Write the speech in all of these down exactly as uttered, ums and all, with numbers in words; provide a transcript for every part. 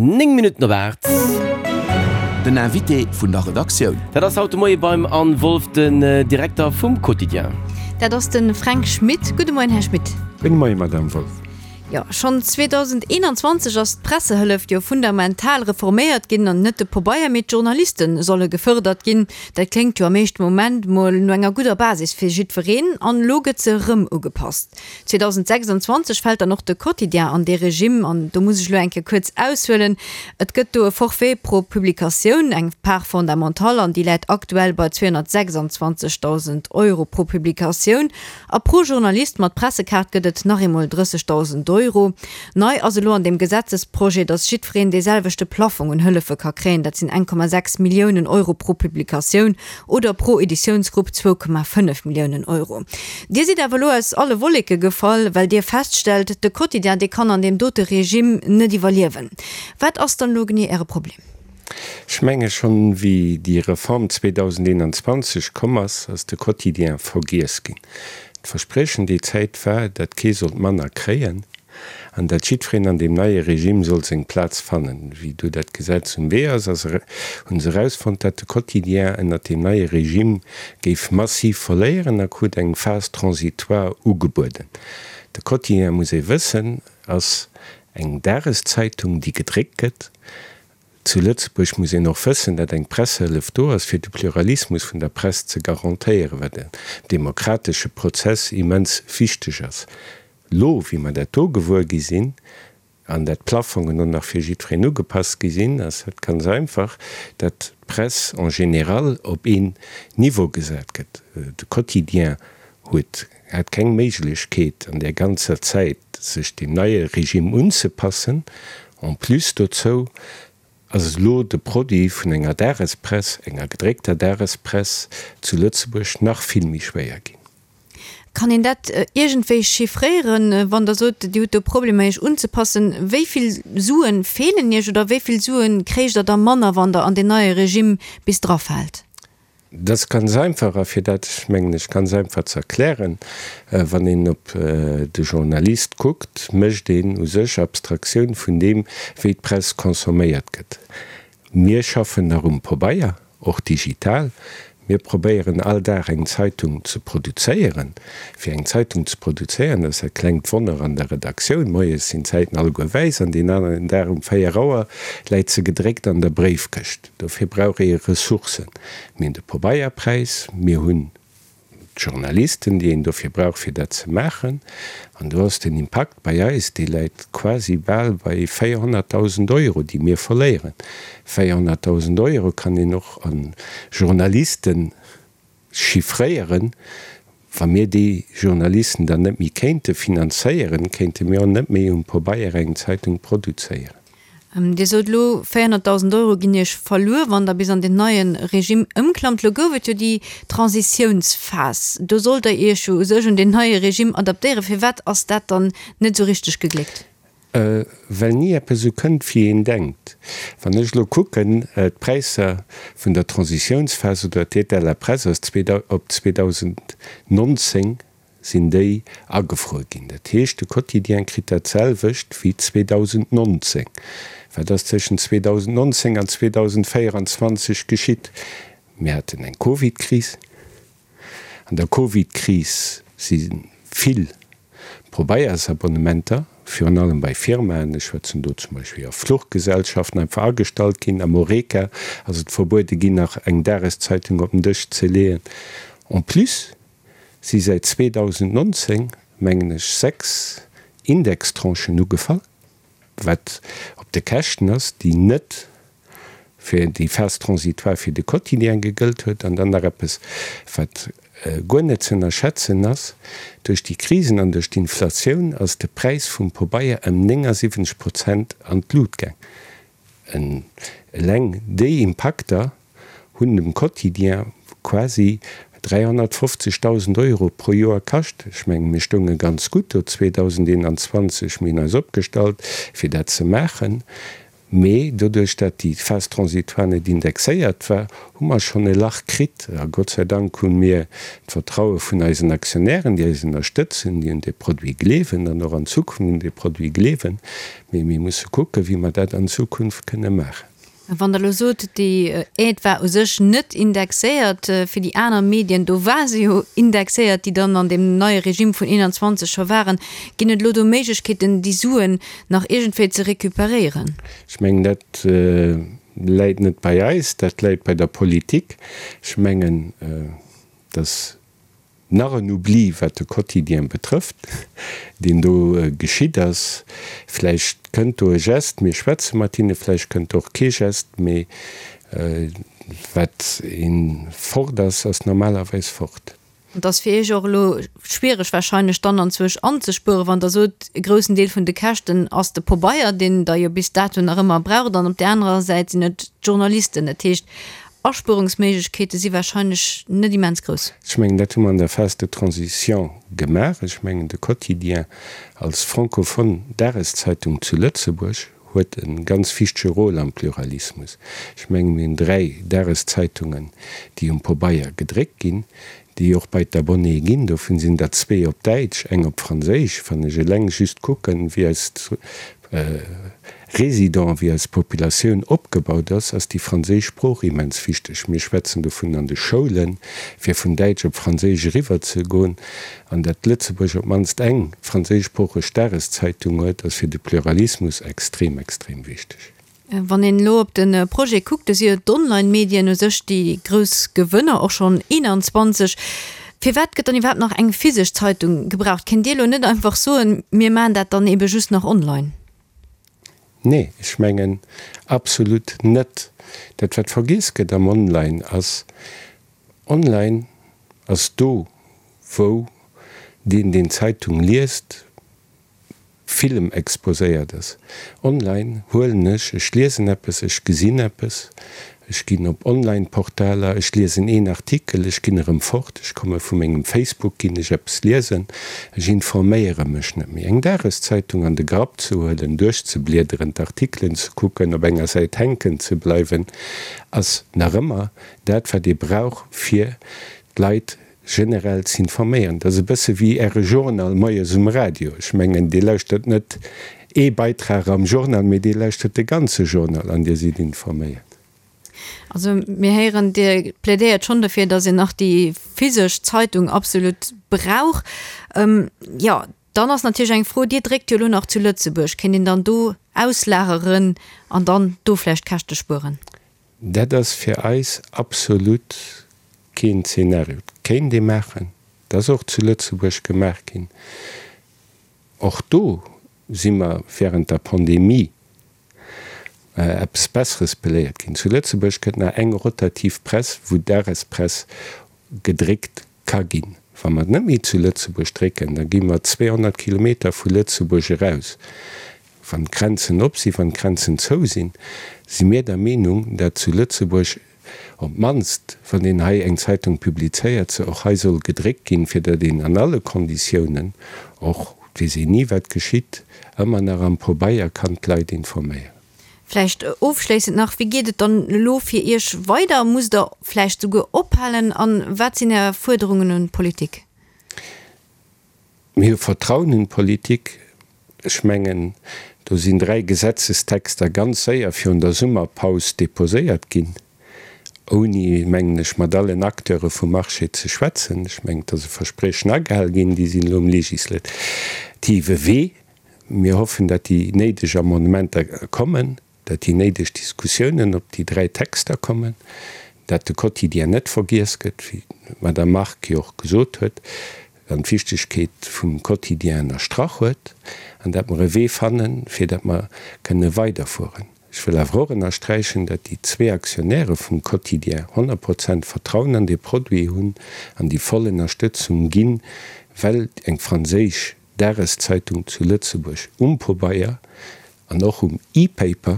Néng Minutten op aacht. Den Invité vun der Redaktioun. Dat ass haut de Moie beim Anne Wolff, den Direkter vum Quotidien. Dat ass de Fränk Schmit. Gudde Moien, Här Schmit. Gudde Moien, Madame Wolff. Jo, schonn zweedausendeenanzwanzeg ass d'Pressehëllef jo fundamental reforméiert ginn an net de Pobeier, mee d'Journaliste solle gefërdert ginn. Dat kléngt jo am éischte Moment mol no enger gudder Basis fir jiddwereen. An elo gëtt se erëm ugepasst. zweedausendsechsanzwanzeg fält dann och de Quotidien an dee Regime an do muss ech elo eng Kéier kuerz aushuelen. Et gëtt do e Forfait pro Publikatioun, eng Part fondamentale, an déi läit aktuell bei zweehonnertsechsanzwanzegdausend Euro pro Publikatioun. A pro Journalist mat Pressekaart gëtt et nach eemol drëssegdausend Euro. Nei ass elo an deem Gesetzesprojet, datt jiddwereen dee selwechte Plaffong un Hëllefe ka kréien, dat sinn eng Komma sechs Milliounen Euro pro Publikatioun oder pro Editiounsgrupp zwou Komma fënnef Milliounen Euro. Dir sidd awer elo aus alle Wolleke gefall, well Dir feststellt, de Quotidien, dee kann an deem dote Regime net iwwerliewen. Wat ass dann elo genee Äre Problem? Ech menge schonn, wéi déi Reform zweedausendeenanzwanzeg komm ass, ass de Quotidien vergiess ginn. D'Verspriechen déi Zäit war, datt kee sollt manner kréien an datt jiddwereen an deem neie Regime sollt seng Plaz fannen. Wéi du dat Gesetz um Wee ass, ass hu se erausfonnt, datt de Quotidien ënnert deem neie Regime géif massiv verléieren a krut eng Phase transitoire ugebueden. De Quotidien, muss ee wëssen, ass eng Dageszeitung, déi gedréckt gëtt. Zu Lëtzebuerg muss een och wëssen, datt eng Pressehëllef do ass, fir de Pluralismus vun der Press ze garantéieren, wat am demokratesche Prozess immens wichteg ass. Lo, wéi mer dat do gewuer gi sinn, an dat d'Plafongen och nach fir jiddwereen ugepasst gi sinn, ass dat ganz einfach, datt d'Press en général op een Niveau gesat gëtt. De Quotidien huet, hat keng Méiglechkeet an där ganzer Zäit, sech deem neie Regime unzepassen. En plus dozou ass elo de Produit vun enger Dagespress, enger gedréckter Dagespress zu Lëtzebuerg nach vill méi schwéier ginn. Kann een dat iergendwéi chiffréieren, wann Der sot, Dir hutt do Problemer Iech unzepassen? Wéi vill Suen feelen Iech oder wéi vill Suen kréicht Der da manner, wann Der an deen neie Regime bis drafaalt? Dat ass ganz einfach, a fir dat, mengen ech, ganz einfach ze erklären, wann een op de Journalist kuckt, mécht een u sech Abstraktioun vun deem, wéi d'Press consomméiert gëtt. Mir schaffen nach um Pabeier, och digital. Mir probéieren all Dag eng Zeitung ze produzéieren. Fir eng Zeitung ze produzéieren, dat ass e klengt Wonner an der Redaktioun. Moies sinn d'Zäiten alleguer wäiss an deen aneren Dag um véier Auer läit se gedréckt an der Bréifkëscht. Dofir brauch ee Ressourcen. Mir hunn de Pabeierpräis, mir hunn d'Journalisten, déi een dofir brauch, fir dat ze maachen. An do ass den Impakt bei eis, dee läit quasi bal bei véierhonnertdausend Euro, déi mir verléieren. Véierhonnertdausend Euro kann een och a Journaliste chiffréieren. Wa mir déi Journalisten dann net méi kéinte finanzéieren, kéinte mir och net méi um Pabeier eng Zeitung produzéieren. Dir sot elo, véierhonnertdausend Euro ginn Iech verluer, wann Der bis an deen neie Regime ëmklammt. Elo gouf et jo déi Transitiounsphas. Do sollt Der Iech jo u sech un deen neie Regime adaptéieren. Firwat ass dat dann net esou richteg gegléckt? Well ni eppes esou kënnt, wéi een denkt. Wann ech elo kucken, d'Präisser vun der Transitiounsphas oder d'Aide à la presse ass op zweedausendnonzéng sinn déi agefruer ginn. Dat heescht, de Quotidien kritt dat selwecht wéi zweedausendnonzéng. Wat ass tëschent zweedausendnonzéng an zweedausendvéieranzwanzeg geschitt? Mir haten eng Covid-Kris. An der Covid-Kris si vill Probeiersabonnementer, virun allem bei Firmaen, ech schwätzen do zum Beispill a Fluchgesellschaften, einfach agestallt ginn. Am Horeca ass et verbuede ginn, nach eng Dageszeitung op den Dësch ze leeën. En plus si säit zweedausendnonzéng, mengen ech, sechs Indextranchen ugefall, wat op de Käschten ass, déi net fir déi Phase transitoire fir de Quotidien gegëllt huet. An dann nach eppes, wat guer net ze ënnerschätzen ass, Duerch déi Krisen an duerch d'Inflatioun ass de Präis vum Pabeier ëm néngasiwwenzeg Prozent an d'Lut gaang. Eleng déi Impakter hunn dem Quotidien quasi dräihonnertfofzegdausend Euro pro Joer kascht. Ech mengen, mir stounge ganz gutt do zweedausendeenanzwanzeg. Mir hunn eis opgestallt, fir dat ze maachen. Mee doduerch, dat déi Phase transitoire net indexéiert war, hu mer schonn e Lach kritt. A Gott sei Dank hu mir d'Vertraue vun eisen Aktionären, déi eis ënnerstëtzen, déi un dee Produit gleewen an och an Zukunft un dee Produit gleewen. Mee mir musse kucken, wéi mer dat an Zukunft kënne maachen. Wann Der elo sot, déi Aide war u sech net indexéiert, fir déi aner Medien, do war se jo indexéiert, déi dann an deem neie Regime vun eenanzwanzeg scho waren. Ginn et elo do Méiglechkeeten, déi Suen nach iergendwéi ze recuperéieren? Ech mengen, dat läit net bei eis, dat läit bei der Politik. Ech mengen, dass nach en Oubli, wat de Quotidien betrëfft, deen do geschitt ass. Vläicht kënnt do e Geste, mir schwätze mat hinne, vläicht kënnt och kee Geste, mee wat ee fort ass, ass normalerweis fort. Et ass fir Iech och elo schwiereg wahrscheinlech dann anzwousch anzespueren, wann Der sot, e groussen Deel vun de Käschten ass de Pobeier, deen Der jo bis dato nach ëmmer braucht, an op där anerer Säit sinn et d'Journalisten. Dat heescht, Aspuerungsméiglechkeete si wahrscheinlech net immens grouss. Ech mengen, dat hu mer an der Phase de transition gemaach. Ech mengen, de Quotidien als francophone Dageszeitung zu Lëtzebuerg huet e ganz wichtege Rôle am Pluralismus. Ech mengen, mir hunn dräi Dageszeitungen, déi um Pobeier gedréckt ginn, déi och bei d'Abonnéë ginn. Dovun sinn der zwee op Däitsch, eng op Franséisch. Wann ech eleng just kucken, wéi eis Résidents, wéi eis Populatioun opgebaut ass, ass déi franséisch Sprooch immens wichteg. Mir schwätzen dovun an de Schoulen, fir vun Däitsch op Franséisch eriwwer ze goen. An datt Lëtzebuerg op d'mannst eng franséischsproocheg Dageszeitung huet, ass fir de Pluralismus extrem, extrem wichteg. Wann een elo op de Projet kuckt, da si jo d'Online-Medien u sech déi grouss Gewënner, och schonn eenanzwanzeg. Firwat gëtt dann iwwerhaapt nach eng physesch Zeitung gebraucht? Kéint Dir elo net einfach soen, mir maachen dat dann ebe just nach online? Nee, ech mengen absolut net. Dat wat vergiess gëtt am Online ass, online ass do wou deen deen d'Zeitung liest, villem exposéiert ass. Online huelen ech, ech liesen eppes, ech gesinn eppes, ech ginn op Online-Portaler, ech liesen een Artikel, ech ginn erëm fort, ech komme vu mengem Facebook, ginn ech eppes liesen, ech informéiere mech net méi. Eng Dageszeitung an de Grapp ze huelen, duerchzebliederen, d'Artikelen ze kucken, op enger Säit hänken ze bleiwen, ass nach ëmmer dat, wat ee brauch, fir d'Leit generell z'informéieren. Dat ass e bësse wéi Äre Journal moies um Radio. Ech mengen, Dir lauschtert net ee Beitrag am Journal, mee Dir lauschtert de ganze Journal an Dir sidd informéiert. Also mir héieren, Dir plädéiert schonn dofir, datt een nach déi physesch Zeitung absolut brauch. Jo, dann ass natierlech eng Fro, Dir dréckt jo elo nach zu Lëtzebuerg, kéint een dann do auslageren an dann do vläicht Käschte spueren? Dat ass fir eis absolut keen Zeenario. Et kéint ee maachen, et ass och zu Lëtzebuerg gemaach ginn. Och do si mer während der Pandemie eppes Besseres beléiert ginn. Zu Lëtzebuerg gëtt nach eng rotativ Press, wou d'Dagespress gedréckt ka ginn. Wa mer net méi zu Lëtzebuerg drécken, da gi mer zweehonnert Kilometer vu Lëtzebuerg eraus. Wann d'Grenzen op sinn, wann d'Grenzen zou sinn, si mir der Meenung, dat zu Lëtzebuerg op d'mannst, wann een hei eng Zeitung publizéiert, se och hei soll gedréckt ginn, fir datt een an alle Konditiounen, och, et weess een ni wat geschitt, ëmmer nach am Pobeier kann d'Leit informéieren. Vläicht ofschléissend nach, Wéi geet et dann elo fir Iech weider? Musst Der vläicht souguer ophalen? A wat sinn Är Fuerderungen un d'Politik? Mir hu Vertrauen un d'Politik. Ech mengen, do sinn dräi Gesetzestexter ganz séier virun der Summerpaus deposéiert ginn, ouni, mengen ech, mat allen Acteure vum Marché ze schwätzen. Ech mengen, et ass e Verspriechen agehal ginn. Déi sinn elo um legislative Wee. Mir hoffen, datt déi néideg Amendementer kommen, datt déi néideg Diskussiounen op déi dräi Texter kommen, datt de Quotidien net vergiess gëtt, wéi d'Madame Margue jo och gesot huet, an d'Wichtegkeet vum Quotidien ënnerstrach huet, an datt mer e Wee fannen, fir datt mer kënne weiderfueren. Ech wëll awer och ënnersträichen, datt déi zwee Aktionäre vum Quotidien honnert Prozent Vertrauen an dee Produit hunn an déi voll Ënnerstëtzung ginn, well eng franséisch Dageszeitung zu Lëtzebuerg um Pobeier an och um E-Paper,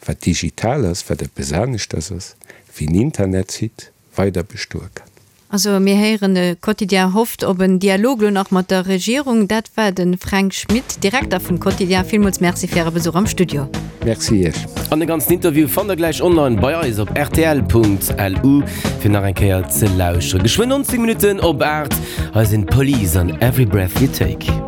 wat digital ass, wat eppes aneschters ass wéi en Internetsite, weider bestoe kann. Also mir héieren, de Quotidien hofft op en Dialog elo nach mat der Regierung. Dat war de Fränk Schmit, Direkter vum Quotidien. Villmools Merci fir Äre Besuch am Studio. Merci Iech. An de ganzen Interview fannt der gläich online bei eis op rtl.lu fir nach eng Kéier ze lauschteren. Geschwënn nonzéng Minutten op aacht, hei sinn d'Police an Every Breath You Take.